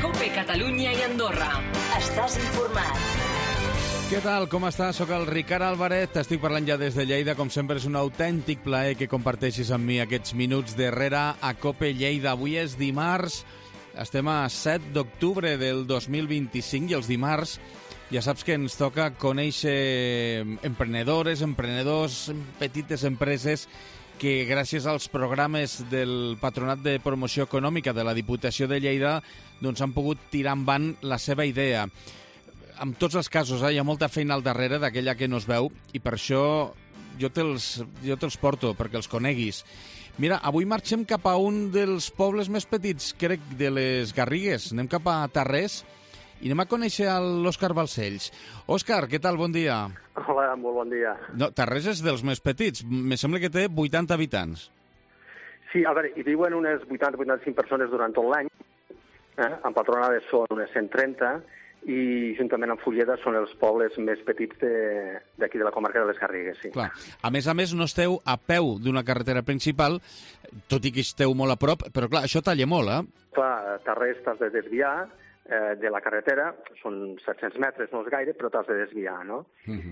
COPE Catalunya i Andorra. Estàs informat. Què tal? Com estàs? Soc el Ricard Álvarez, t'estic parlant ja des de Lleida. Com sempre és un autèntic plaer que comparteixis amb mi aquests minuts darrere a COPE Lleida. Avui és dimarts, estem a 7 d'octubre del 2025 i els dimarts ja saps que ens toca conèixer emprenedores, emprenedors, petites empreses que gràcies als programes del Patronat de Promoció Econòmica de la Diputació de Lleida doncs han pogut tirar endavant la seva idea. En tots els casos hi ha molta feina al darrere d'aquella que no es veu i per això jo te'ls porto perquè els coneguis. Mira, avui marxem cap a un dels pobles més petits, crec, de les Garrigues. Anem cap a Tarrés i anem a conèixer l'Òscar Balcells. Òscar, què tal? Bon dia. Hola, molt bon dia. No, Tarrés és dels més petits. Me sembla que té 80 habitants. Sí, a veure, hi viuen unes 80-85 persones durant tot l'any. Empadronades són unes 130 i juntament amb Fulleda són els pobles més petits d'aquí de la comarca de les Garrigues. Sí. Clar. A més, no esteu a peu d'una carretera principal, tot i que esteu molt a prop, però clar, això talla molt, eh? Clar, Tarrés t'has de desviar de la carretera, són 700 metres, no és gaire, però t'has de desviar, no?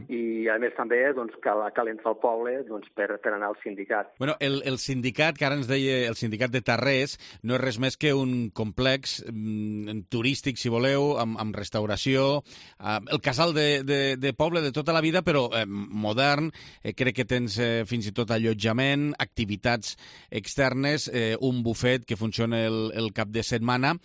I, a més, també doncs, cal entrar al poble doncs, per anar al sindicat. Bueno, el sindicat, que ara ens deia el sindicat de Tarrés, no és res més que un complex turístic, si voleu, amb restauració, el casal de poble de tota la vida, però modern. Crec que tens fins i tot allotjament, activitats externes, un bufet que funciona el cap de setmana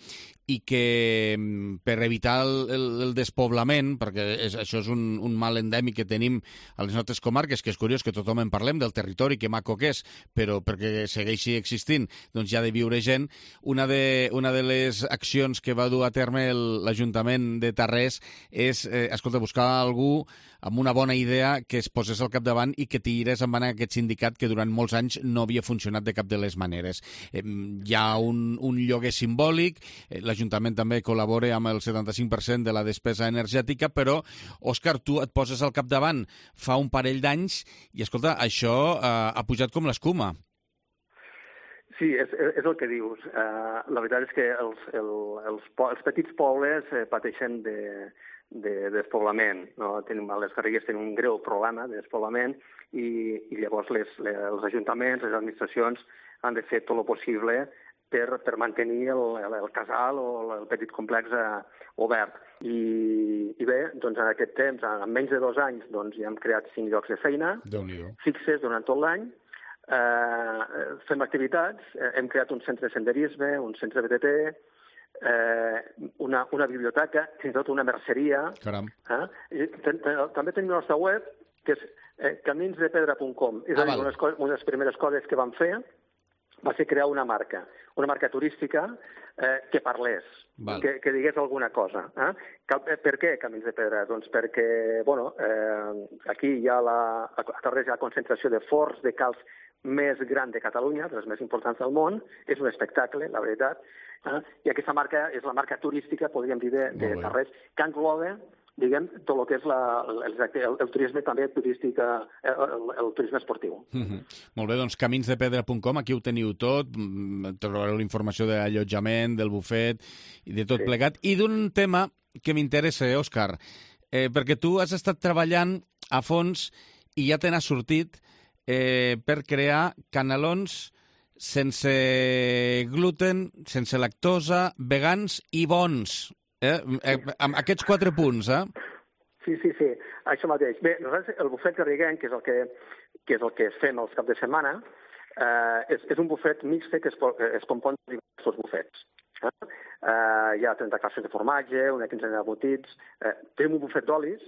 i que per evitar el despoblament, perquè això és un mal endèmic que tenim a les nostres comarques, que és curiós que tothom en parlem del territori, que maco que és, però perquè segueixi existint, doncs hi ha de viure gent. Una de les accions que va dur a terme l'Ajuntament de Tarrés és, buscar algú amb una bona idea que es posés al capdavant i que tirés endavant aquest sindicat que durant molts anys no havia funcionat de cap de les maneres. Hi ha un lloguer simbòlic, l'Ajuntament també col·labora amb el 75% de la despesa energètica, però, Òscar, tu et poses al capdavant fa un parell d'anys i, escolta, això ha pujat com l'escuma. Sí, és el que dius. La veritat és que els petits pobles pateixen de despoblament. No? Les Garrigues tenen un greu problema de despoblament i llavors els ajuntaments, les administracions han de fer tot el possible per mantenir el casal o el petit complex obert. I bé, doncs en aquest temps, en menys de 2 anys, doncs ja hem creat 5 llocs de feina fixes durant tot l'any. Fem activitats, hem creat un centre de senderisme, un centre BTT, una biblioteca, fins i tot una merceria. Caram. També tenim la nostra web, que és caminsdepedra.com. És a dir, una de les primeres coses que vam fer va ser crear una marca turística que parlés, que digués alguna cosa. Per què Camins de Pedra? Doncs perquè, aquí hi ha a Tarrés hi ha la concentració de forns de calç més gran de Catalunya, de les més importants del món. És un espectacle, la veritat. I aquesta marca és la marca turística, podríem dir, de Tarrés, que engloba, diguem, tot el que és el turisme també turístic, el turisme esportiu. Molt bé, doncs caminsdepedra.com, aquí ho teniu tot, trobareu la informació de l'allotjament, del bufet i de tot plegat. I d'un tema que m'interessa, Òscar, perquè tu has estat treballant a fons i ja te n'has sortit per crear canelons sense gluten, sense lactosa, vegans i bons. Amb aquests 4 punts, Sí, això mateix. Bé, nosaltres el bufet garriguenc, que és el que fem els caps de setmana, és un bufet mixt que es compon de diversos bufets. Hi ha 30 classes de formatge, una quinzena de botits. Tenim un bufet d'olis,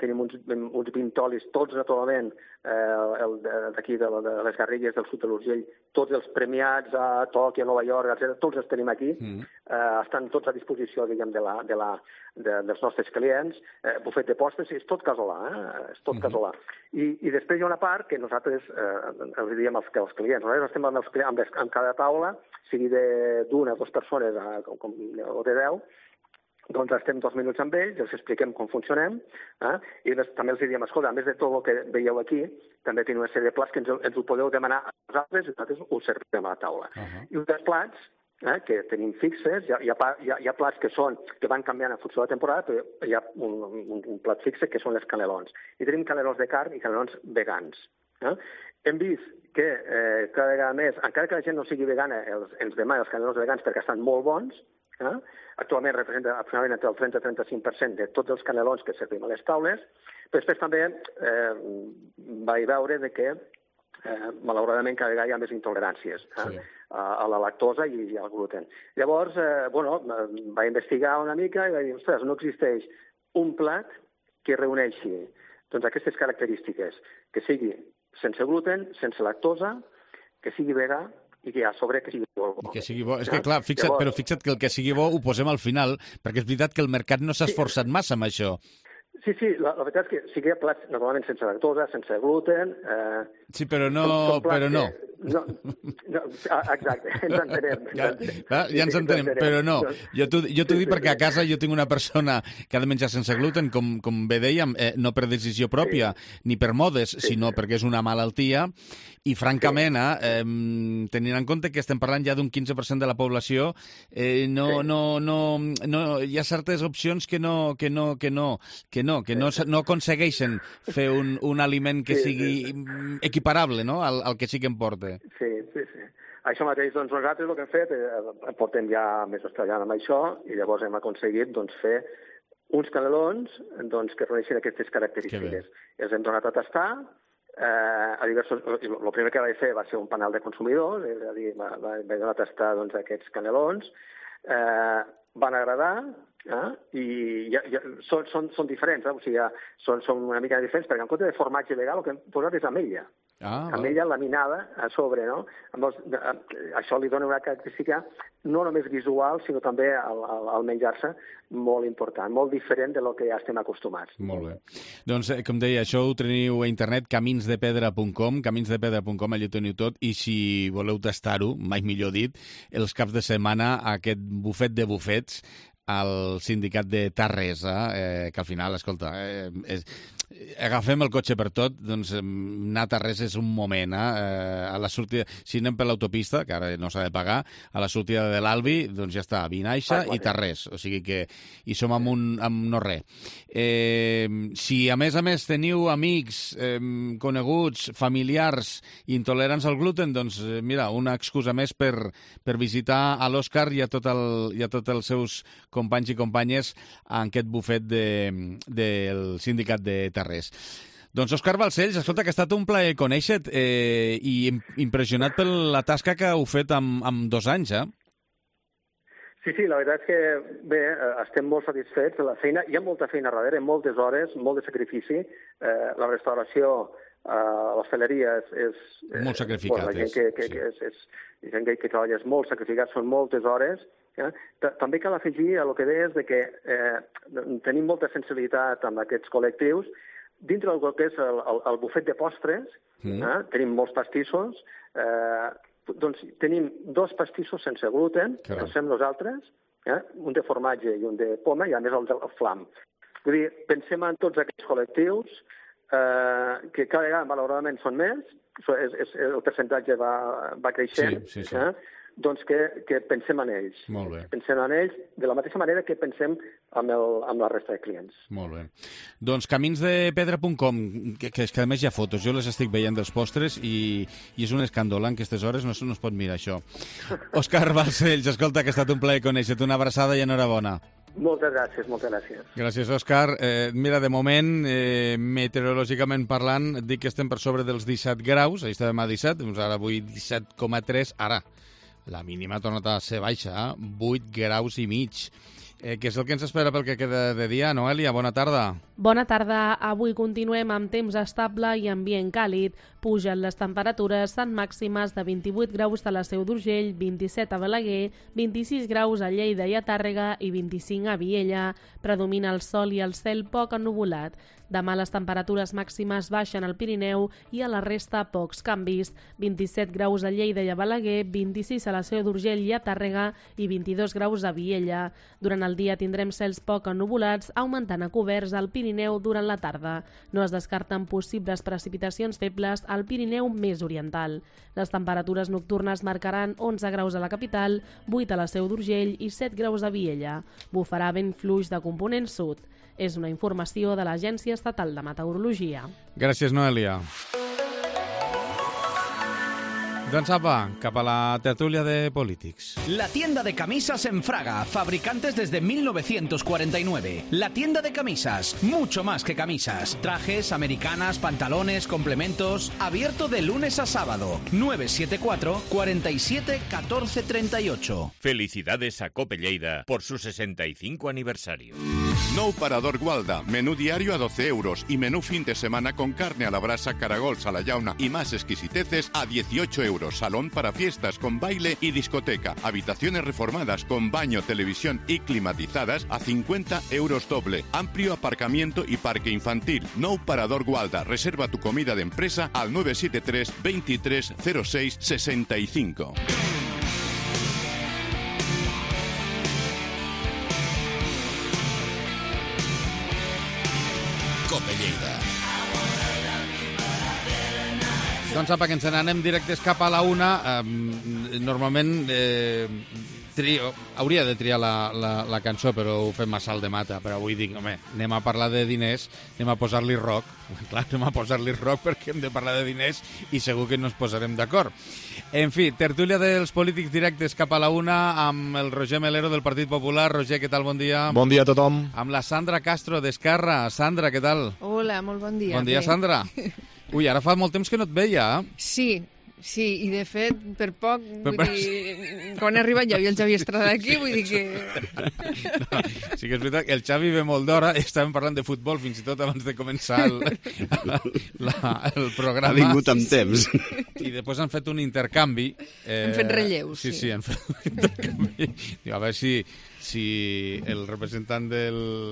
tenim uns 20 olis, tots naturalment d'aquí de les Garrigues, del sud de l'Urgell, tots els premiats a Tòquio, a Nova York, etc., tots els tenim aquí. Estan tots a disposició, diguem, dels nostres clients. Bufet de postres, és tot casolà, és tot casolà. I després hi ha una part que nosaltres els diem als clients. Nosaltres estem amb cada taula, sigui d'una o 2 persones o de 10, doncs estem 2 minuts amb ells, els expliquem com funcionem, i també els diem, escolta, a més de tot el que veieu aquí, també tenim una sèrie de plats que ens ho podeu demanar a nosaltres i nosaltres ho servirem a la taula. I un dels plats que tenim fixes, hi ha plats que van canviant en funció de la temporada, però hi ha un plat fixe que són les canelons. I tenim canelons de carn i canelons vegans. Hem vist que cada vegada més, encara que la gent no sigui vegana, ens demana els canelons vegans perquè estan molt bons. Actualment representa aproximadament entre el 30 i 35% de tots els canelons que servim a les taules, però després també vaig veure que malauradament cada vegada hi ha més intoleràncies a la lactosa i al gluten. Llavors, vaig investigar una mica i vaig dir, ostres, no existeix un plat que reuneixi aquestes característiques, que sigui sense gluten, sense lactosa, que sigui vegà i que a sobre que sigui bo. Que sigui bo. És que, clar, fixa't que el que sigui bo ho posem al final, perquè és veritat que el mercat no s'ha esforçat massa amb això. Sí, la veritat és que sí que hi ha plats normalment sense lactosa, sense gluten... Sí, però no. Exacte, ens entenem. Ja ens entenem, però no. Jo t'ho dic perquè a casa jo tinc una persona que ha de menjar sense gluten, com bé dèiem, no per decisió pròpia, ni per modes, sinó perquè és una malaltia, i francament, tenint en compte que estem parlant ja d'un 15% de la població, hi ha certes opcions que no aconsegueixen fer un aliment que sigui equiparable, no?, al que sí que em porta. Sí. Això mateix, doncs nosaltres el que hem fet, portem ja mesos treballant amb això i llavors hem aconseguit fer uns canelons que reuneixin aquestes característiques. Els hem donat a tastar, el primer que vaig fer va ser un panel de consumidors, és a dir, vaig donar a tastar aquests canelons, van agradar, i són diferents, o sigui, són una mica diferents, perquè en compte de formatge vegà el que hem posat és ametlla. Ametlla laminada a sobre, no? Això li dona una característica no només visual, sinó també al menjar-se molt important, molt diferent de lo que ja estem acostumats. Molt bé. Doncs, com deia, això ho teniu a internet, caminsdepedra.com, caminsdepedra.com, allà ho teniu tot, i si voleu tastar-ho, mai millor dit, els caps de setmana, aquest bufet de bufets, al sindicat de Tarresa, que al final, escolta, agafem el cotxe per tot, doncs anar a Tarresa és un moment, a la sortida, si anem per l'autopista, que ara no s'ha de pagar, a la sortida de l'Albi, doncs ja està, Vinaixa i Tarrés, o sigui que hi som amb no res. Si a més teniu amics, coneguts, familiars intolerants al gluten, doncs mira, una excusa més per visitar a l'Òscar i a tots els seus companys i companyes en aquest bufet del sindicat de Tarrés. Doncs Òscar Balcells, escolta, que ha estat un plaer conèixer-te i impressionat per la tasca que heu fet amb 2 anys, Sí, la veritat és que, bé, estem molt satisfets de la feina. Hi ha molta feina darrere, moltes hores, molt de sacrifici. La restauració, l'hostaleria és... Molt sacrificat, la gent que treballa és molt sacrificat, són moltes hores. També cal afegir a el que deies que tenim molta sensibilitat amb aquests col·lectius. Dintre del que és el bufet de postres, tenim molts pastissos, doncs tenim 2 pastissos sense gluten, que els fem nosaltres, un de formatge i un de poma, i a més el del flam. Vull dir, pensem en tots aquests col·lectius, que cada vegada, malauradament, són més, el percentatge va creixent, doncs que pensem en ells. Molt bé. Pensem en ells de la mateixa manera que pensem amb la resta de clients. Molt bé. Doncs caminsdepedra.com, que a més hi ha fotos, jo les estic veient dels postres i és un escàndol, en aquestes hores no es pot mirar això. Òscar Balcells, escolta, que ha estat un plaer conèixer-te, una abraçada i enhorabona. Moltes gràcies, moltes gràcies. Gràcies, Òscar. Mira, de moment, meteorològicament parlant, dic que estem per sobre dels 17 graus, ahir estàvem a 17, doncs ara avui 17,3, ara. La mínima ha tornat a ser baixa, 8 graus i mig. Què és el que ens espera pel que queda de dia, Noelia? Bona tarda. Bona tarda. Avui continuem amb temps estable i ambient càlid. Pugen les temperatures en màximes de 28 graus a la Seu d'Urgell, 27 a Balaguer, 26 graus a Lleida i a Tàrrega i 25 a Viella. Predomina el sol i el cel poc ennuvolat. Demà les temperatures màximes baixen al Pirineu i a la resta pocs canvis. 27 graus a Lleida i a Balaguer, 26 a la Seu d'Urgell i a Tàrrega i 22 graus a Viella. Durant Durant el dia tindrem cels poc ennuvolats, augmentant a coberts al Pirineu durant la tarda. No es descarten possibles precipitacions febles al Pirineu més oriental. Les temperatures nocturnes marcaran 11 graus a la capital, 8 a la Seu d'Urgell i 7 graus a Viella. Bufarà vent fluix de component sud. És una informació de l'Agència Estatal de Meteorologia. Gràcies, Noelia. Doncs apa, cap a la tertúlia de polítics. La tienda de camisas en Fraga, fabricantes desde 1949. La tienda de camisas, mucho más que camisas. Trajes, americanas, pantalones, complementos. Abierto de lunes a sábado. 974 47 14 38. Felicidades a Cope Lleida por su 65 aniversario. Nou Parador Gualda, menú diario a 12 euros y menú fin de semana con carne a la brasa, caragols a la llauna y más exquisiteces a 18 euros. Salón para fiestas con baile y discoteca. Habitaciones reformadas con baño, televisión y climatizadas a 50 euros doble. Amplio aparcamiento y parque infantil. Nou Parador Gualda. Reserva tu comida de empresa al 973 23 06 65. Cope Lleida. Doncs apa, que ens n'anem directes cap a la una. Normalment hauria de triar la cançó, però ho fem a salt de mata. Però avui dic, home, anem a parlar de diners, anem a posar-li rock. Clar, anem a posar-li rock perquè hem de parlar de diners i segur que no ens posarem d'acord. En fi, tertúlia dels polítics directes cap a la una amb el Roger Melero del Partit Popular. Roger, què tal? Bon dia. Bon dia a tothom. Amb la Sandra Castro d'Esquerra. Sandra, què tal? Hola, molt bon dia. Bon dia, Sandra. Ui, ara fa molt temps que no et veia. Sí, i de fet, per poc, vull dir, quan he arribat ja havia el Xavi Estrada aquí, vull dir que... No, sí que és veritat que el Xavi ve molt d'hora, estàvem parlant de futbol fins i tot abans de començar el programa. Ha vingut amb temps. I després han fet un intercanvi. Hem fet relleus. Sí, han fet un intercanvi. A veure si el representant del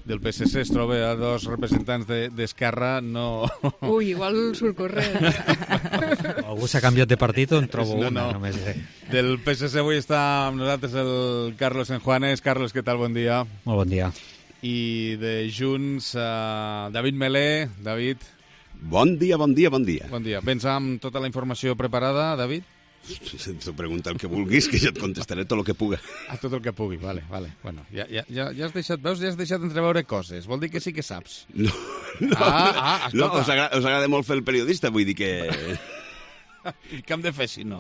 PSC es troba a dos representants d'Esquerra, no... Ui, igual surt corrent. Algú s'ha canviat de partit o en trobo una, només. Del PSC avui està amb nosaltres el Carlos Enjuanes. Carlos, què tal? Bon dia. Molt bon dia. I de Junts, David Melé. David. Bon dia. Bon dia. Vens amb tota la informació preparada, David? T'ho pregunta el que vulguis, que jo et contestaré tot el que puga. Tot el que pugui, vale. Bueno, ja has deixat, veus, ja has deixat entreveure coses. Vol dir que sí que saps. No, us agrada molt fer el periodista, vull dir que... I què hem de fer, si no?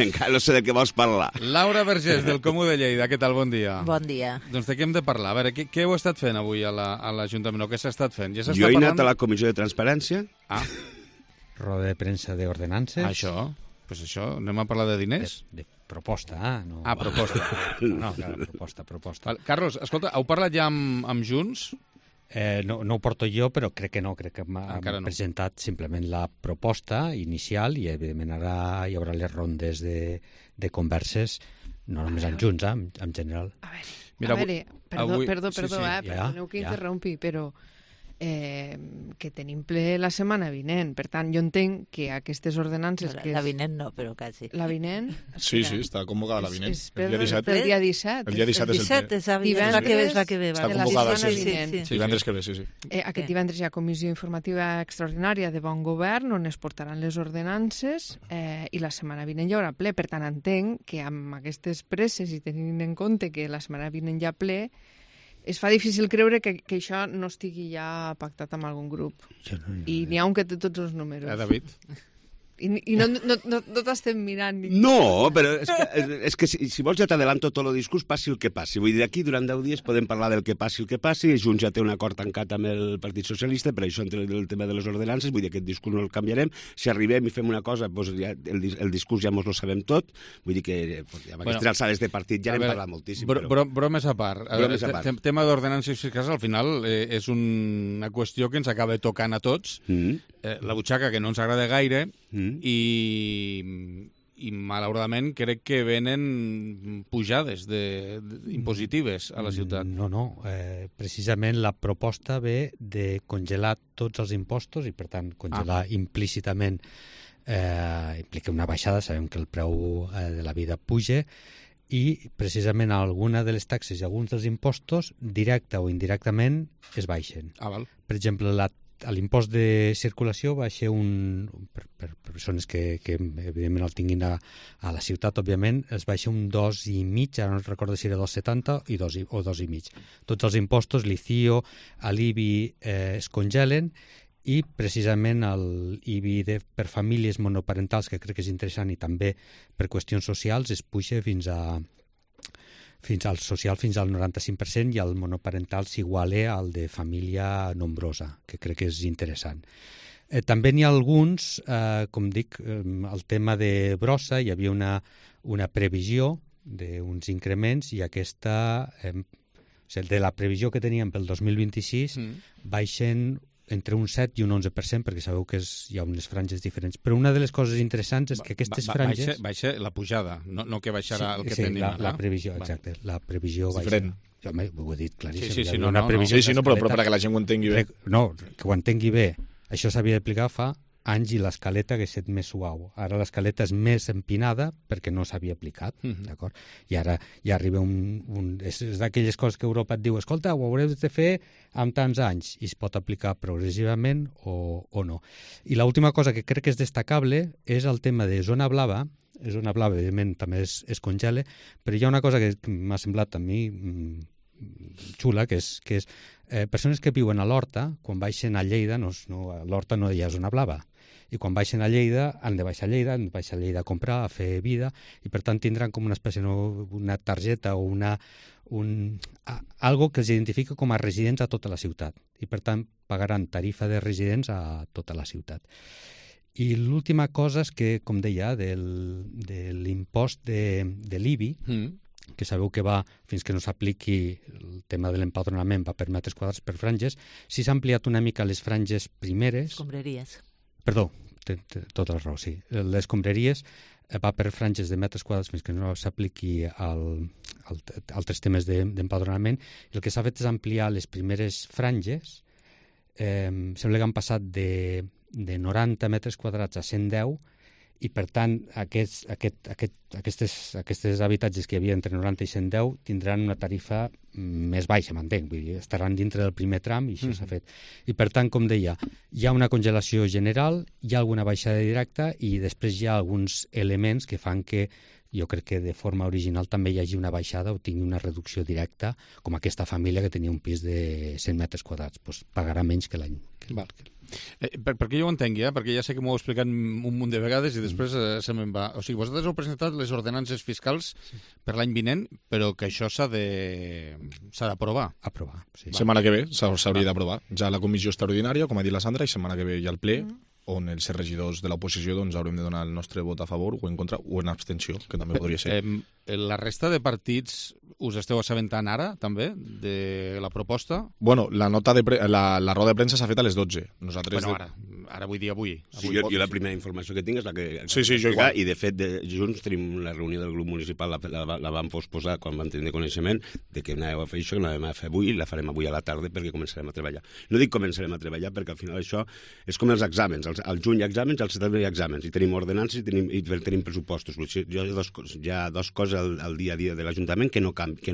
Encara no sé de què vols parlar. Laura Vergés, del Comú de Lleida, què tal? Bon dia. Bon dia. Doncs de què hem de parlar? A veure, què heu estat fent avui a l'Ajuntament? Què s'ha estat fent? Jo he anat a la Comissió de Transparència. Roda de premsa d'ordenances. Això, anem a parlar de diners? De proposta, no. Proposta. No, clar, proposta. Carlos, escolta, heu parlat ja amb Junts? No ho porto jo, però crec que no. Crec que hem presentat simplement la proposta inicial i, evidentment, ara hi haurà les rondes de converses, no només amb Junts, en general. A veure, perdó, perdoneu que interrompi, però que tenim ple la setmana vinent. Per tant, jo entenc que aquestes ordenances... La vinent no, però quasi. La vinent? Sí, està convocada la vinent. El dia 17. El dia 17 és el ple. És la que ve. Està convocada, sí. Divendres que ve, sí. Aquest divendres hi ha comissió informativa extraordinària de bon govern on es portaran les ordenances i la setmana vinent hi haurà ple. Per tant, entenc que amb aquestes presses i tenint en compte que la setmana vinent hi ha ple, es fa difícil creure que això no estigui ja pactat amb algun grup. I n'hi ha un que té tots els números. David? I no t'estem mirant. No, però és que si vols ja t'adelanto tot el discurs, passi el que passi. Vull dir, aquí durant 10 dies podem parlar del que passi el que passi. Junts ja té un acord tancat amb el Partit Socialista, per això entre el tema de les ordenances, vull dir, aquest discurs no el canviarem. Si arribem i fem una cosa, doncs ja el discurs ja mos lo sabem tot. Vull dir que amb aquestes alçades de partit ja n'hem parlat moltíssim. Bromes a part. Tema d'ordenances fiscals, al final, és una qüestió que ens acaba tocant a tots. La butxaca que no ens agrada gaire i malauradament crec que venen pujades impositives a la ciutat. No. Precisament la proposta ve de congelar tots els impostos i, per tant, congelar implícitament implica una baixada. Sabem que el preu de la vida puja i precisament alguna de les taxes i alguns dels impostos, directa o indirectament, es baixen. Val. Per exemple, l'impost de circulació va ser per persones que evidentment el tinguin a la ciutat, òbviament, es baixa un 2,5, ara no recordo si era 2,70 o 2,5. Tots els impostos, l'ICIO, l'IBI es congelen, i precisament l'IBI per famílies monoparentals, que crec que és interessant, i també per qüestions socials, es puja fins al social fins al 95%, i el monoparental s'iguala al de família nombrosa, que crec que és interessant. També n'hi ha alguns, com dic, el tema de brossa, hi havia una previsió d'uns increments, i aquesta, de la previsió que teníem pel 2026, baixen entre un 7 i un 11%, perquè sabeu que hi ha unes franges diferents. Però una de les coses interessants és que aquestes franges... Baixa la pujada, no que baixarà el que tenim. Sí, la previsió, exacte. La previsió baixa. Diferent. Jo ho he dit claríssim. Sí, però perquè la gent ho entengui bé. No, que ho entengui bé. Això s'havia d'aplicar fa anys i l'escaleta hagués estat més suau. Ara l'escaleta és més empinada perquè no s'havia aplicat, d'acord? I ara ja arriba és d'aquelles coses que Europa et diu, escolta, ho haureu de fer en tants anys, i es pot aplicar progressivament o no. I l'última cosa que crec que és destacable és el tema de zona blava. Zona blava, evidentment, també es congela, però hi ha una cosa que m'ha semblat a mi xula, que és persones que viuen a l'Horta, quan baixen a Lleida, a l'Horta no hi ha zona blava, i quan baixen a Lleida han de baixar a Lleida a comprar, a fer vida, i per tant tindran com una espècie, una targeta o algo que els identifica com a residents a tota la ciutat, i per tant pagaran tarifa de residents a tota la ciutat. I l'última cosa és que, com deia, de l'impost de l'IBI, que sabeu que va, fins que no s'apliqui el tema de l'empadronament, va per metres quadrats per franges, si s'ha ampliat una mica les franges primeres... Escombraries. Perdó, té tota la raó, sí. Les escombraries va per franges de metres quadrats fins que no s'apliqui altres temes d'empadronament. El que s'ha fet és ampliar les primeres franges. Sembla que han passat de 90 metres quadrats a 110, i per tant aquests habitatges que hi havia entre 90 i 110 tindran una tarifa més baixa, m'entenc, vull dir, estaran dintre del primer tram, i això s'ha fet. I per tant, com deia, hi ha una congelació general, hi ha alguna baixada directa, i després hi ha alguns elements que fan que jo crec que de forma original també hi hagi una baixada o tingui una reducció directa, com aquesta família que tenia un pis de 100 metres quadrats, doncs pagarà menys que l'any. Perquè jo ho entengui, perquè ja sé que m'ho heu explicat un munt de vegades i després se me'n va. O sigui, vosaltres heu presentat les ordenances fiscals per l'any vinent, però que això s'ha d'aprovar. Aprovar, sí. Setmana que ve s'hauria d'aprovar. Ja la comissió extraordinària, com ha dit la Sandra, i setmana que ve ja el ple, on els regidors de l'oposició haurem de donar el nostre vot a favor o en contra o en abstenció, que també podria ser. La resta de partits us esteu assabentant ara, també, de la proposta? Bueno, la roda de premsa s'ha fet a les 12. Nosaltres ara vull dir avui. Sí, jo la primera informació que tinc és la que... Sí, jo igual. I de fet, junts tenim la reunió del grup municipal, la vam posposar quan vam tenir coneixement de que anàvem a fer això, que anàvem a fer avui, i la farem avui a la tarda perquè començarem a treballar. No dic començarem a treballar perquè al final això és com els exàmens. Al juny hi ha exàmens, al setembre hi ha exàmens, i tenim ordenances i tenim pressupostos. Hi ha dues coses al dia a dia de l'Ajuntament que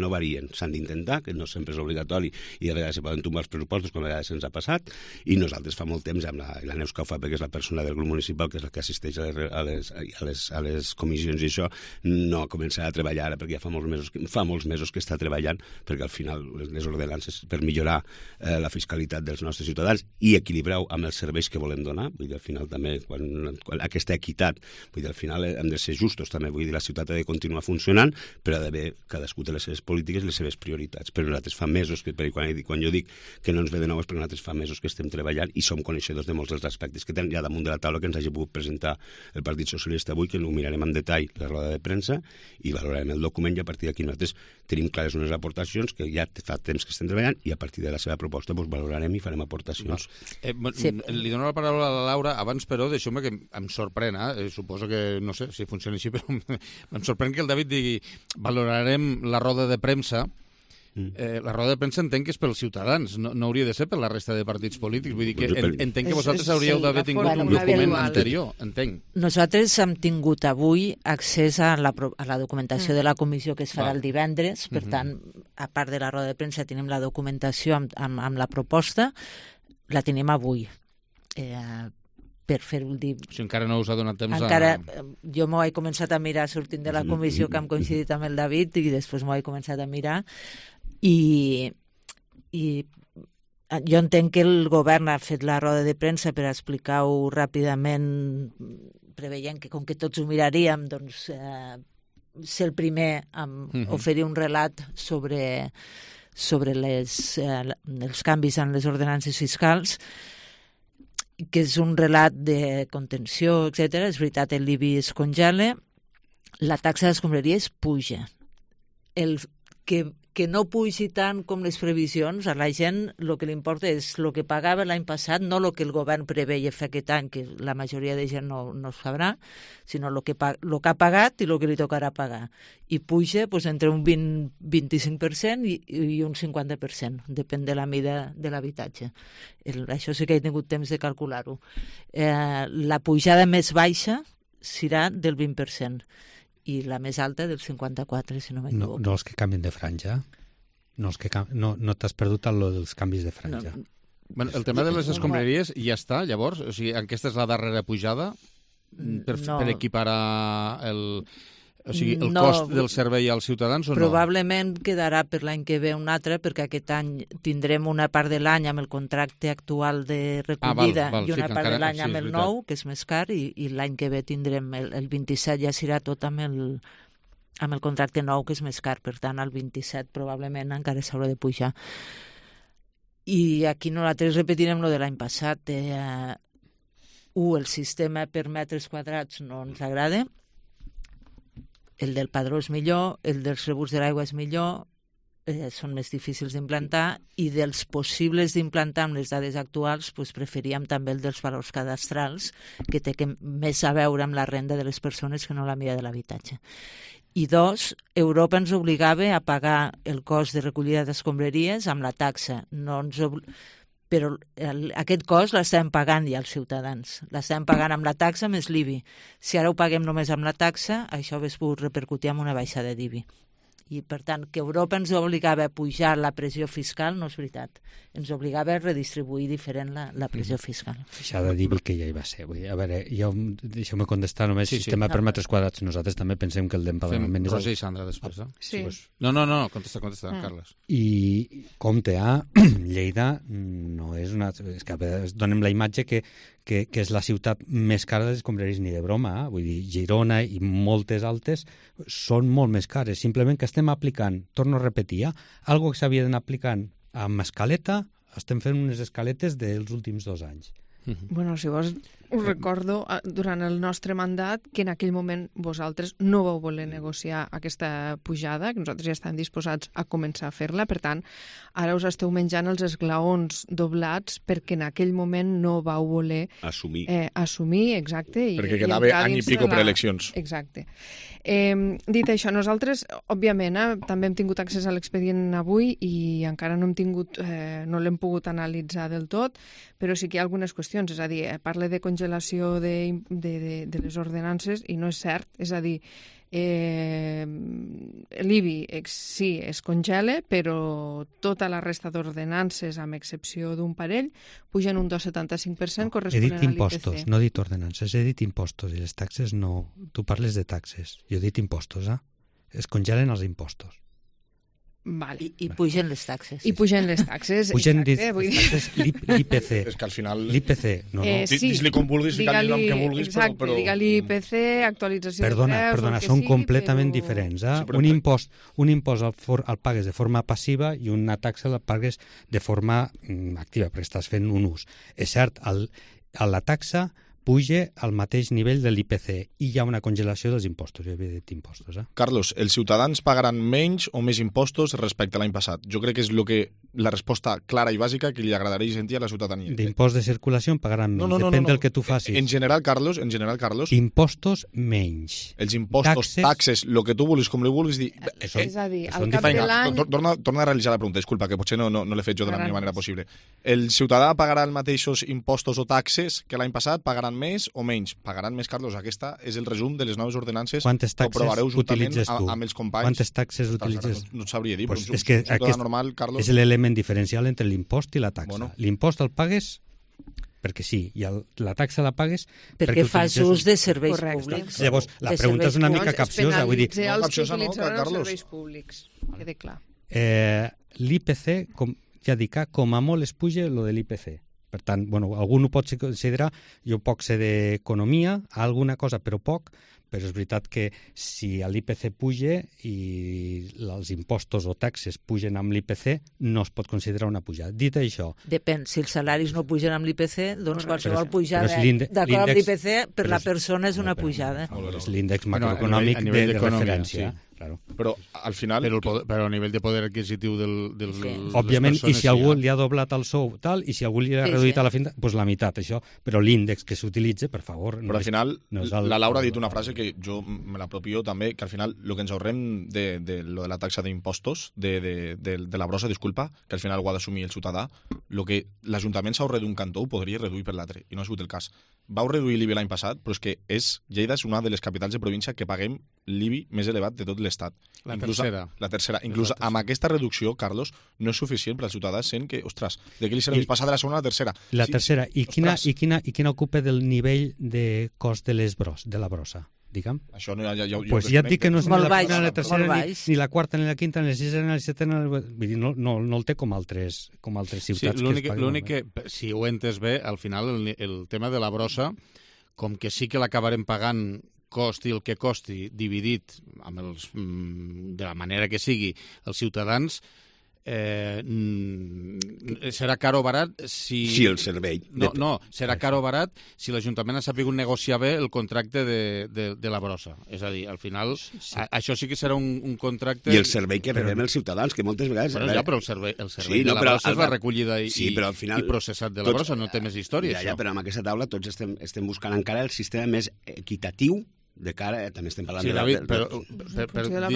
no varien. S'han d'intentar, que no sempre és obligatori, i a vegades se poden tombar els pressupostos, com a vegades se'ns ha passat, i nosaltres fa molt temps, amb la Neus que ho fa, perquè és la persona del grup municipal, que és la que assisteix a les comissions, i això no ha començat a treballar ara, perquè ja fa molts mesos que està treballant, perquè al final les ordenances per millorar la fiscalitat dels nostres ciutadans i equilibrar-ho amb els serveis que volem donar, vull dir, al final també, quan aquesta equitat, vull dir, al final hem de ser justos també, vull dir, la ciutat ha de continuar funcionant, però ha d'haver cadascú de les seves polítiques i les seves prioritats. Però nosaltres fa mesos, quan jo dic que no ens ve de nou és perquè nosaltres fa mesos que estem treballant i som coneixedors de molts dels aspectes que tenen ja damunt de la taula que ens hagi pogut presentar el Partit Socialista avui, que ho mirarem en detall la roda de premsa i valorarem el document, i a partir d'aquí nosaltres tenim clares unes aportacions que ja fa temps que estem treballant, i a partir de la seva proposta valorarem i farem aportacions. Li dono la paraula a la Laura. Abans, però, deixeu-me que em sorprèn, suposo que, no sé si funciona així, però em sorprèn que el David digui valorarem la roda de premsa, La roda de premsa entenc que és pels ciutadans, no hauria de ser per la resta de partits polítics. Vull dir que entenc que vosaltres hauríeu d'haver tingut un document anterior, entenc. Nosaltres hem tingut avui accés a la documentació de la comissió que es farà el divendres, per tant, a part de la roda de premsa, tenim la documentació amb la proposta, la tenim avui. Per fer-ho dir... Si encara no us ha donat temps Jo m'ho he començat a mirar sortint de la comissió que hem coincidit amb el David i després m'ho he començat a mirar i jo entenc que el govern ha fet la roda de premsa per explicar-ho ràpidament, preveient que com que tots ho miraríem, doncs ser el primer a oferir un relat sobre els canvis en les ordenances fiscals, que és un relat de contenció, etc. És veritat, l'IBI es congela, la taxa d'escombraries puja. Que no pugi tant com les previsions, a la gent el que li importa és el que pagava l'any passat, no el que el govern preveia fer aquest any, que la majoria de gent no es sabrà, sinó el que ha pagat i el que li tocarà pagar. I puja entre un 20-25% i un 50%, depèn de la mida de l'habitatge. Això sí que he tingut temps de calcular-ho. La pujada més baixa serà del 20%. I la més alta del 54, si no m'equivoco. No els que canvien de franja? No t'has perdut dels canvis de franja? Bueno, el tema de les escombraries ja està, llavors? O sigui, aquesta és la darrera pujada per equiparar el cost del servei als ciutadans o no? Probablement quedarà per l'any que ve un altre, perquè aquest any tindrem una part de l'any amb el contracte actual de recollida i una part de l'any amb el nou, que és més car, i l'any que ve tindrem el 27, ja serà tot amb el contracte nou, que és més car. Per tant, el 27 probablement encara s'haurà de pujar. I aquí nosaltres repetirem lo de l'any passat. El sistema per metres quadrats no ens agrada, el del padró és millor, el dels rebuts de l'aigua és millor, són més difícils d'implantar, i dels possibles d'implantar amb les dades actuals preferíem també el dels valors cadastrals, que té més a veure amb la renda de les persones que no la mida de l'habitatge. I dos, Europa ens obligava a pagar el cost de recollida d'escombraries amb la taxa. Però aquest cost l'estem pagant ja els ciutadans. L'estem pagant amb la taxa més l'IBI. Si ara ho paguem només amb la taxa, això hauria pogut repercutir en una baixada d'IBI. I, per tant, que Europa ens obligava a pujar la pressió fiscal no és veritat. Ens obligava a redistribuir diferent la pressió fiscal. Baixada d'IBI que ja hi va ser. A veure, deixeu-me contestar només sistema per metres quadrats. Nosaltres també pensem que el d'empadronament és... Roser i Sandra després, Sí. No, contesta, Carles. I compte Lleida no és una... És que a vegades donem la imatge que és la ciutat més cara de les escombraries, ni de broma. Vull dir, Girona i moltes altres són molt més cares. Simplement que estem aplicant, torno a repetir, algo que s'havia d'anar aplicant amb escaleta, estem fent unes escaletes dels últims 2 anys. Bueno, si vols, us recordo durant el nostre mandat que en aquell moment vosaltres no vau voler negociar aquesta pujada, que nosaltres ja estem disposats a començar a fer-la, per tant, ara us esteu menjant els esglaons doblats perquè en aquell moment no vau voler assumir, exacte. Perquè quedava any i pico per eleccions. Exacte. Dit això, nosaltres, òbviament, també hem tingut accés a l'expedient avui i encara no no l'hem pogut analitzar del tot, però sí que hi ha algunes qüestions. És a dir, parla de congelació de les ordenances i no és cert. És a dir, l'IBI sí es congela, però tota la resta d'ordenances, amb excepció d'un parell, pugen un 2,75% corresponent a l'IPC. He dit impostos, no he dit ordenances, he dit impostos, i les taxes no. Tu parles de taxes, jo he dit impostos, es congelen els impostos. Vale. I pugen les taxes. I pugen les taxes, pugen exacte. L'IPC. És que al final... L'IPC, no. Sí, dis-li com vulguis, ficar-li el nom que vulguis, exacte, però... digue-li IPC, actualització de preus... Perdona, són completament diferents. Sí, un impost el pagues de forma passiva i una taxa el pagues de forma activa, perquè estàs fent un ús. És cert, la taxa puja al mateix nivell de l'IPC i hi ha una congelació dels impostos. Jo havia dit impostos. Carlos, els ciutadans pagaran menys o més impostos respecte a l'any passat? Jo crec que és el que la resposta clara i bàsica que li agradaria sentir a la ciutadania. D'impost de circulació pagaran menys, depèn del que tu facis. En general, Carlos... Impostos menys. Els impostos, taxes, el que tu vulguis, com li vulguis dir... És a dir, al cap de l'any... Torna a realitzar la pregunta, disculpa, que potser no l'he fet jo de la millor manera possible. El ciutadà pagarà els mateixos impostos o taxes que l'any passat? Pagaran més o menys? Pagaran més, Carlos. Aquesta és el resum de les noves ordenances que aprovareu juntament amb els companys. Quantes taxes utilitzes? No et sabria dir, però és que normal, Carlos... És l'element diferencial entre l'impost i la taxa. L'impost el pagues perquè sí, i la taxa la pagues perquè fas ús de serveis públics. Llavors, la pregunta és una mica capciosa. Vull dir, els que utilitzaran els serveis públics. Quede clar. L'IPC, ja dic, com a molt es puja lo de l'IPC. Per tant, algú ho pot considerar, jo poc sé d'economia, alguna cosa, però poc, però és veritat que si l'IPC puja i els impostos o taxes pugen amb l'IPC, no es pot considerar una pujada. Dit això... Depèn, si els salaris no pugen amb l'IPC, doncs qualsevol pujada d'acord amb l'IPC per la persona és una pujada. És l'índex macroeconòmic de referència. Claro. Però al final... Però a nivell de poder adquisitiu dels òbviament, i si algú li ha doblat el sou tal, i si algú li ha reduït a la finta, doncs la meitat, això. Però l'índex que s'utilitza, per favor... Però al final, la Laura ha dit una frase que jo me l'apropio també, que al final el que ens ahorrem de la taxa d'impostos, de la brossa, disculpa, que al final ho ha d'assumir el ciutadà, el que l'Ajuntament s'ahorra d'un cantó ho podria reduir per l'altre, i no ha sigut el cas. Vau reduir l'IBI l'any passat, però és que Lleida és una de les capitals de província que paguem l'IBI més elevat de tot l'Estat. La tercera. Inclús amb aquesta reducció, Carlos, no és suficient per al ciutadà sent que, ostres, de què li serveix passar de la segona a la tercera? La tercera. I quina ocupa del nivell de cost de la brossa? Digue'm. Això no, ja ja et dic que no és ni la primera, ni la tercera, ni la quarta, ni la quinta, ni la sisena, ni la setena... Vull dir, no el té com altres ciutats. Sí, l'únic que, si ho he entès bé, al final el tema de la brossa, com que sí que l'acabarem pagant costi el que costi, dividit de la manera que sigui els ciutadans, serà car o barat si... Sí, el servei. No, serà car o barat si l'Ajuntament ha sabut negociar bé el contracte de la brossa. És a dir, al final, això sí que serà un contracte... I el servei que rebem els ciutadans, que moltes vegades... Però el servei de la brossa és la recollida i processat de la brossa, no té més història. Ja, però amb aquesta taula tots estem buscant encara el sistema més equitatiu de cara, també estem parlant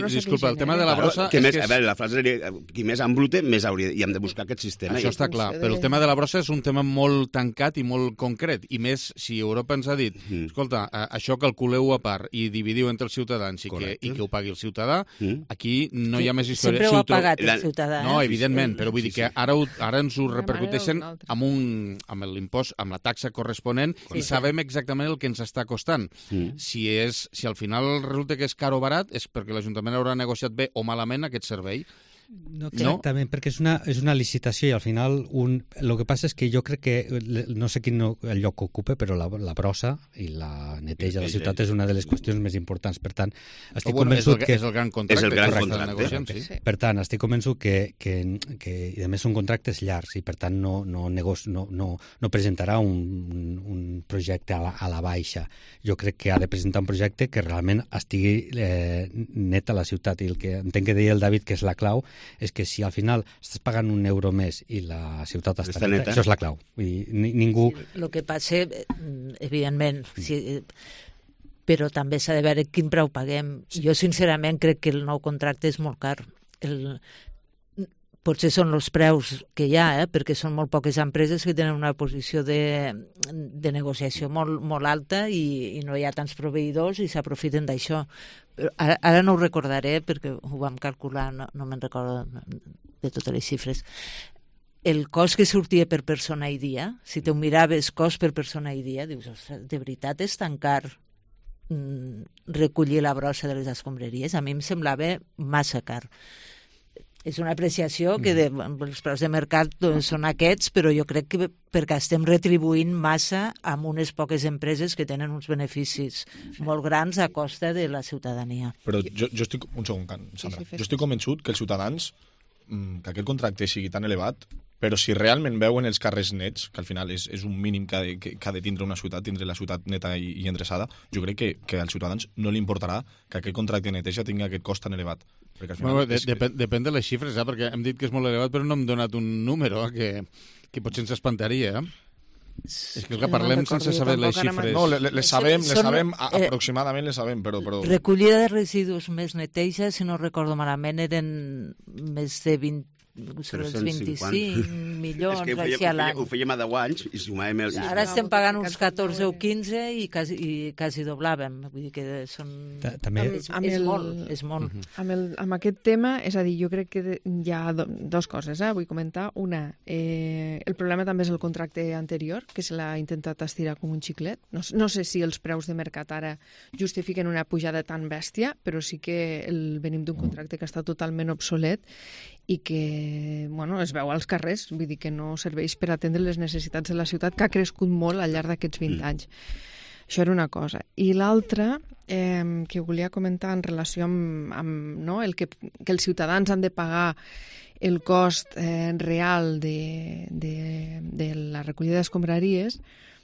disculpa, el tema de la brossa... A veure, la frase seria, qui més embrute, més hauria... I hem de buscar aquest sistema. Això està clar, però el tema de la brossa és un tema molt tancat i molt concret, i més si Europa ens ha dit, escolta, això calculeu a part i dividiu entre els ciutadans i que ho pagui el ciutadà, aquí no hi ha més història. Sempre ho ha pagat el ciutadà. No, evidentment, però vull dir que ara ens ho repercuteixen amb l'impost, amb la taxa corresponent, i sabem exactament el que ens està costant. Si al final resulta que és car o barat, és perquè l'Ajuntament haurà negociat bé o malament aquest servei. No exactament, perquè és una licitació i al final el que passa és que jo crec que no sé quin el lloc que ocupa, però la brossa i la neteja de la ciutat és una de les qüestions més importants. Per tant, estic convençut que... És el gran contracte. És el gran contracte. Per tant, estic convençut que i a més són contractes llargs i per tant no presentarà un projecte a la baixa. Jo crec que ha de presentar un projecte que realment estigui net a la ciutat, i el que entenc que deia el David, que és la clau, és que si al final estàs pagant €1 més i la ciutat està neta, això és la clau. Vull dir, ningú... El que passa, evidentment, però també s'ha de veure quin preu paguem. Jo, sincerament, crec que el nou contracte és molt car. Potser són els preus que hi ha, perquè són molt poques empreses que tenen una posició de negociació molt alta i no hi ha tants proveïdors i s'aprofiten d'això. Ara no ho recordaré perquè ho vam calcular, no me'n recordo de totes les xifres. El cost que sortia per persona i dia, si te ho miraves cost per persona i dia, dius, ostres, de veritat és tan car recollir la brossa de les escombraries? A mi em semblava massa car. És una apreciació que els preus de mercat són aquests, però jo crec que perquè estem retribuint massa amb unes poques empreses que tenen uns beneficis molt grans a costa de la ciutadania. Però jo estic... Un segon, Sandra. Jo estic convençut que els ciutadans, que aquest contracte sigui tan elevat, Però si realment veuen els carrers nets, que al final és un mínim que ha de tindre una ciutat, tindre la ciutat neta i endreçada, jo crec que als ciutadans no li importarà que aquest contracte de neteja tingui aquest cost tan elevat. Depèn de les xifres, perquè hem dit que és molt elevat, però no hem donat un número que potser ens espantaria. És que parlem sense saber les xifres. No, les sabem, aproximadament les sabem, però... Recollida de residus més neteja, si no recordo malament, eren més de 25 milions així a l'any. Ho fèiem a 10 anys i sumàvem... Ara estem pagant uns 14 o 15 i quasi doblàvem. Vull dir que són... És molt. Amb aquest tema, és a dir, jo crec que hi ha dues coses, vull comentar. Una, el problema també és el contracte anterior, que se l'ha intentat estirar com un xiclet. No sé si els preus de mercat ara justifiquen una pujada tan bèstia, però sí que venim d'un contracte que està totalment obsolet i que es veu als carrers, vull dir que no serveix per atendre les necessitats de la ciutat, que ha crescut molt al llarg d'aquests 20 anys. Això era una cosa. I l'altra, que volia comentar en relació amb que els ciutadans han de pagar el cost real de la recollida d'escombraries,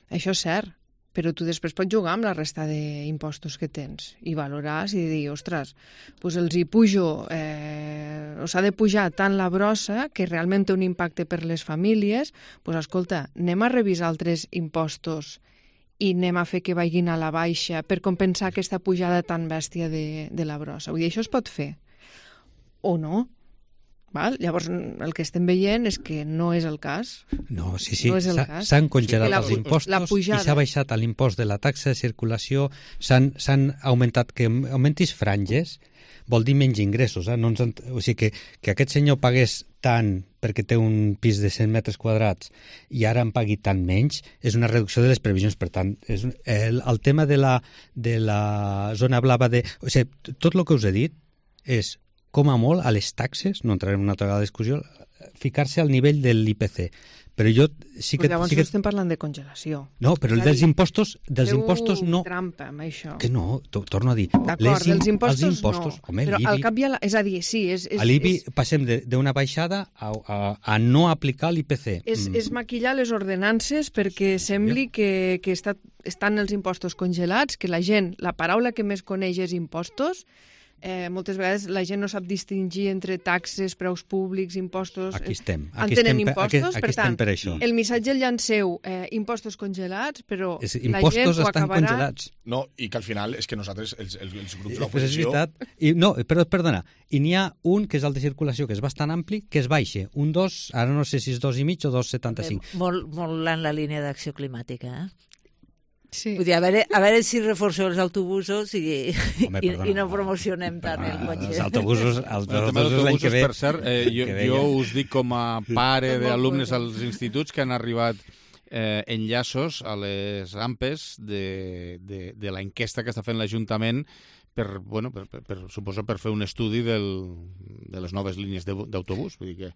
això és cert, però tu després pots jugar amb la resta d'impostos que tens i valoraràs i dir, ostres, doncs els hi pujo, s'ha de pujar tant la brossa que realment té un impacte per les famílies, doncs escolta, anem a revisar altres impostos i anem a fer que vagin a la baixa per compensar aquesta pujada tan bèstia de la brossa. Vull dir, això es pot fer o no? Val? Llavors, el que estem veient és que no és el cas. No, sí, s'han congelat els impostos i s'ha baixat l'impost de la taxa de circulació, s'han augmentat, que augmentis franges vol dir menys ingressos. O sigui que aquest senyor pagués tant perquè té un pis de 100 metres quadrats i ara en pagui tant menys, és una reducció de les previsions. Per tant, el tema de la zona blava o sigui, tot el que us he dit és com a molt, a les taxes, no entrarem en una altra discussió, ficar-se al nivell de l'IPC. Però jo sí que... Llavors estem parlant de congelació. No, però dels impostos no... trampa amb això. Que no, torno a dir. D'acord, dels impostos no. Home, però al cap hi ha... És a dir, sí... A l'IBI passem d'una baixada a no aplicar l'IPC. És maquillar les ordenances perquè sembli que estan els impostos congelats, que la gent, la paraula que més coneix és impostos. Moltes vegades la gent no sap distingir entre taxes, preus públics, impostos... Aquí estem. Entenen impostos, per tant, per això. El missatge el llanceu, impostos congelats, però la gent impostos ho estan acabarà... congelats. No, i que al final és que nosaltres, els grups de Però és l'oposició... veritat. Perdona, i n'hi ha un, que és el de circulació, que és bastant ampli, que es baixa. Un 2, ara no sé si és 2,5 o 2,75. Molt en la línia d'acció climàtica, Sí. Vull dir, a veure si reforceu els autobusos i no promocionem tant el cotxe. Els autobusos l'any que ve... Per cert, jo us dic com a pare d'alumnes als instituts que han arribat enllaços a les AMPEs de l'enquesta que està fent l'Ajuntament suposo per fer un estudi de les noves línies d'autobús. Vull dir que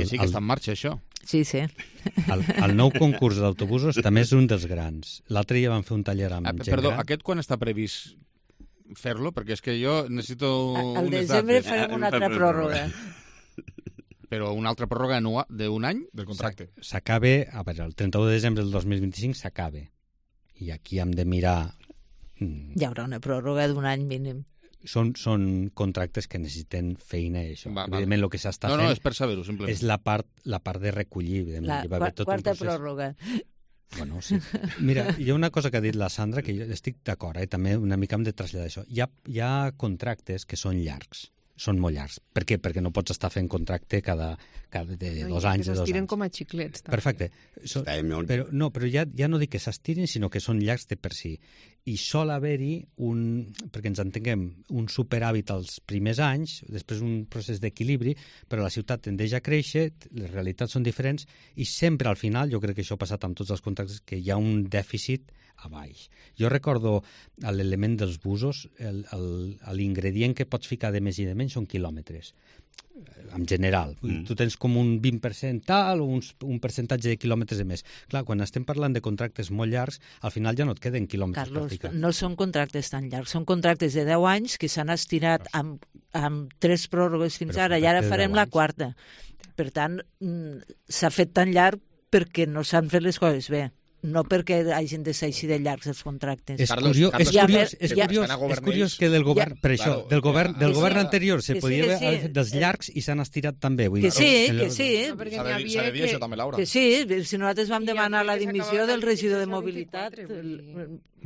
sí que està en marxa, això. Sí. El nou concurs d'autobusos també és un dels grans. L'altre dia van fer un taller amb gent Perdó, gran. aquest quan està previst fer-lo? Perquè és que jo necessito al desembre farem una altra pròrroga. Però una altra pròrroga d'un any? Del contracte. S'acaba, el 31 de desembre del 2025 s'acaba. I aquí hem de mirar... Hi haurà una pròrroga d'un any mínim. Són contractes que necessiten feina i això. Evidentment, el que s'està fent... No, és per saber-ho, simplement. És la part de recollir. La quarta pròrroga. Bueno, sí. Mira, hi ha una cosa que ha dit la Sandra que jo estic d'acord, també una mica hem de traslladar això. Hi ha contractes que són llargs. Són molt llargs. Per què? Perquè no pots estar fent contracte cada 2 anys. Que s'estiren com a xiclets. També. Perfecte. Però ja no dic que s'estirin, sinó que són llargs de per si. I sol haver-hi perquè ens entenguem, un superàvit als primers anys, després un procés d'equilibri, però la ciutat tendeix a créixer, les realitats són diferents, i sempre al final, jo crec que això ha passat amb tots els contractes, que hi ha un dèficit a baix. Jo recordo l'element dels busos, l'ingredient que pots ficar de més i de menys són quilòmetres, en general. Tu tens com un 20% tal o un percentatge de quilòmetres de més. Clar, quan estem parlant de contractes molt llargs, al final ja no et queden quilòmetres per ficar. No són contractes tan llargs, són contractes de 10 anys que s'han estirat amb 3 pròrrogues fins ara, i ara farem la quarta. Per tant, s'ha fet tan llarg perquè no s'han fet les coses bé. No perquè hagin de ser així de llargs els contractes. És curiós que del govern, per això, del govern anterior se podia haver fet dels llargs i s'han estirat també. Que sí. S'ha de dir això també, Laura. Que sí, si nosaltres vam demanar la dimissió del regidor de mobilitat...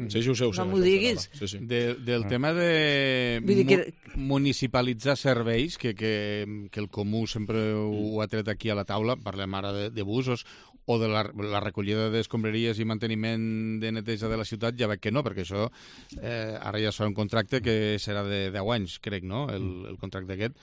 Sí, ho sé. No m'ho diguis. Del tema de municipalitzar serveis, que el Comú sempre ho ha tret aquí a la taula, parlem ara de busos, o de la recollida d'escombraries i manteniment de neteja de la ciutat, ja veig que no, perquè això ara ja serà un contracte que serà de 10 anys, crec, no?, el contracte aquest.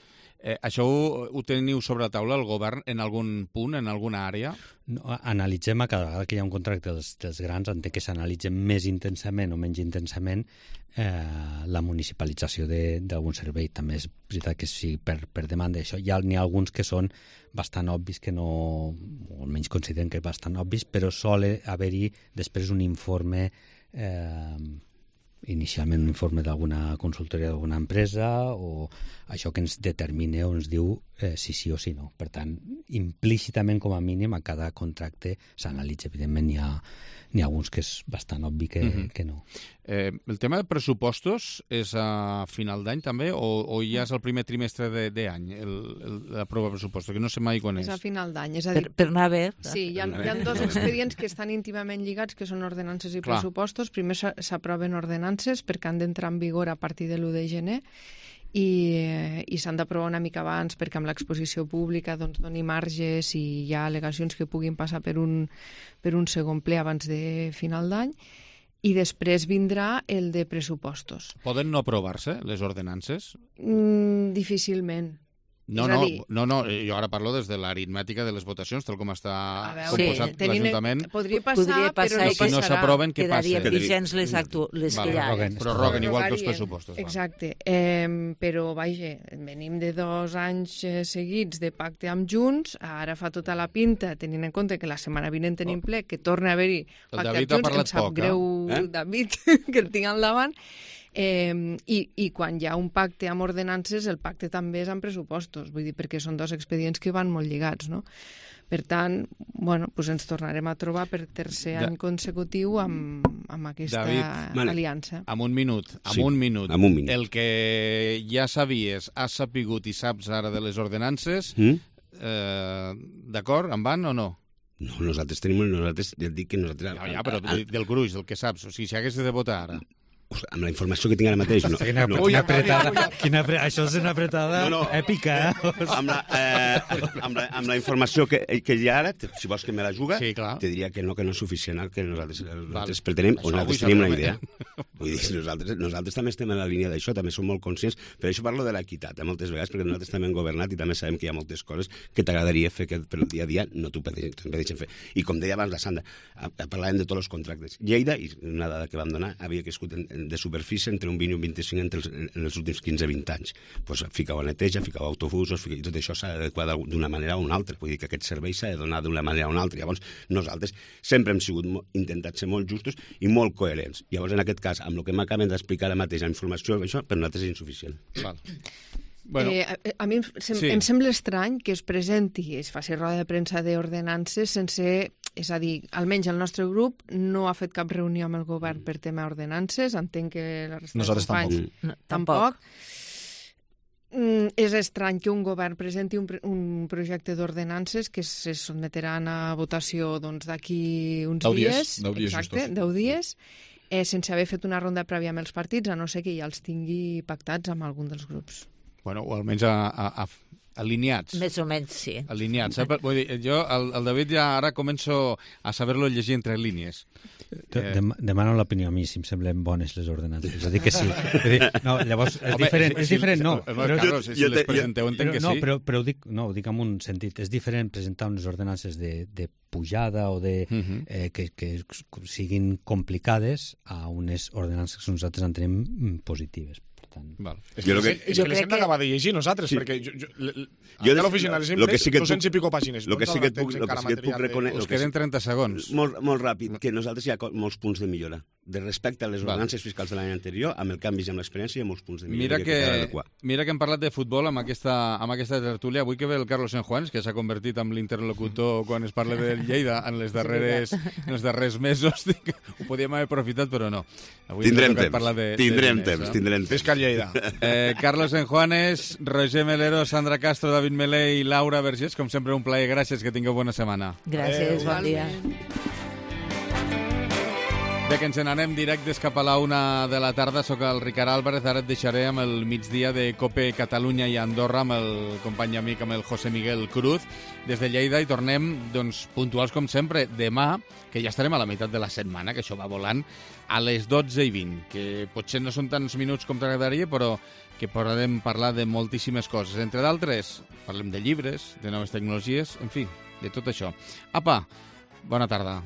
Això ho teniu sobre la taula, el govern, en algun punt, en alguna àrea? No, analitzem a cada vegada que hi ha un contracte dels grans, entenc que s'analitzen més intensament o menys intensament la municipalització d'algun servei. També és veritat que sí, per demanda d'això. N'hi ha alguns que són bastant obvis, que no, o almenys consideren que bastant obvis, però sol haver-hi després un informe inicialment un informe d'alguna consultoria d'alguna empresa o això que ens determina o ens diu si sí o si no. Per tant, implícitament com a mínim a cada contracte s'analitza. Evidentment n'hi ha alguns que és bastant obvi que no. El tema de pressupostos és a final d'any també o ja és el primer trimestre d'any la prova de pressupostos, que no sé mai quan és? És a final d'any, és a dir... Per anar bé. Sí, hi ha dos expedients que estan íntimament lligats, que són ordenances i pressupostos. Primer s'aproven ordenances perquè han d'entrar en vigor a partir de l'1 de gener i s'han d'aprovar una mica abans perquè amb l'exposició pública doni marges i hi ha al·legacions que puguin passar per un segon ple abans de final d'any. I després vindrà el de pressupostos. Poden no aprovar-se, les ordenances? Difícilment. No, jo ara parlo des de l'aritmètica de les votacions, tal com està composat l'Ajuntament. Podria passar, però no passarà. Si no s'aproven, què passa? Quedarien vigents les que hi ha. Prorroguen, igual que els pressupostos. Exacte. Però, vaja, venim de 2 anys seguits de pacte amb Junts, ara fa tota la pinta, tenint en compte que la setmana vinent tenim ple, que torna a haver-hi pacte amb Junts, em sap greu, David, que el tinc al davant. I quan hi ha un pacte amb ordenances, el pacte també és amb pressupostos, vull dir, perquè són 2 expedients que van molt lligats, no? Per tant, ens tornarem a trobar per tercer any consecutiu amb aquesta aliança. Amb un minut. El que ja sabies, has sapigut i saps ara de les ordenances, d'acord, en van o no? No, nosaltres ja et dic que nosaltres... Ja, però del gruix, del que saps, o sigui, si haguessis de votar ara... Amb la informació que tinc ara mateix... Quina això és una apretada èpica, Amb la informació que hi ha ara, si vols que me la juga, te diria que no és suficient el que nosaltres pretenem, o nosaltres tenim una idea. Vull dir, nosaltres també estem en la línia d'això, també som molt conscients, per això parlo de l'equitat, moltes vegades, perquè nosaltres també hem governat i també sabem que hi ha moltes coses que t'agradaria fer que per el dia a dia no t'ho deixen fer. I com deia abans la Sandra, parlàvem de tots els contractes. Lleida, i una dada que vam donar, havia crescut de superfície entre un 20 i un 25 en els últims 15-20 anys. Pues ficau a neteja, ficau a autobusos, i tot això s'ha d'adequar d'una manera o una altra. Vull dir que aquest servei s'ha de donar d'una manera o una altra. Llavors, nosaltres sempre hem intentat ser molt justos i molt coherents. Llavors, en aquest cas, amb el que m'acaben d'explicar ara mateix, la informació, això per nosaltres és insuficient. A mi em sembla estrany que es presenti, es faci roda de premsa d'ordenances sense... És a dir, almenys el nostre grup no ha fet cap reunió amb el govern per tema ordenances, entenc que la resta de companys tampoc. És estrany que un govern presenti un projecte d'ordenances que se sotmetran a votació d'aquí uns dies. 10 dies, sense haver fet una ronda prèvia amb els partits, a no ser que ja els tingui pactats amb algun dels grups. Bueno, o almenys alineats. Més o menys, sí. Alineats. Vull dir, jo, el David ja ara començo a saber-lo llegir entre línies. Demano l'opinió a mi, si em semblen bones les ordenances. És a dir, que sí. No, llavors, és diferent, no. Carlos, si les presenteu, entenc que sí. Però ho dic en un sentit. És diferent presentar unes ordenances de pujada o que siguin complicades a unes ordenances que nosaltres entenem positives. És que les hem d'acabar de llegir nosaltres, perquè jo de l'oficina les hem fet 200 i pico pàgines. El que sí que et puc reconèixer... Us queden 30 segons. Molt ràpid, que nosaltres hi ha molts punts de millora. de respecte a les ordenances fiscals de l'any anterior, amb el canvi i amb l'experiència i amb els punts de mira que hem parlat de futbol amb aquesta tertúlia. Avui que ve el Carlos Sanjuans, que s'ha convertit en l'interlocutor quan es parla de Lleida en els darrers mesos. Ho podíem haver aprofitat, però no. Avui tindrem temps. Pesca Lleida. Carlos Sanjuanes, Roger Melero, Sandra Castro, David Melé i Laura Vergés, com sempre un plaer. Gràcies, que tingueu bona setmana. Gràcies, bon dia. Bé, que ens n'anem directes cap a la 1 de la tarda. Soc el Ricard Álvarez. Ara et deixaré amb el migdia de COPE Catalunya i Andorra amb el company i amic, amb el José Miguel Cruz, des de Lleida, i tornem puntuals com sempre demà, que ja estarem a la meitat de la setmana, que això va volant, a les 12:20, que potser no són tants minuts com t'agradaria, però que podem parlar de moltíssimes coses. Entre d'altres, parlem de llibres, de noves tecnologies, en fi, de tot això. Apa, bona tarda.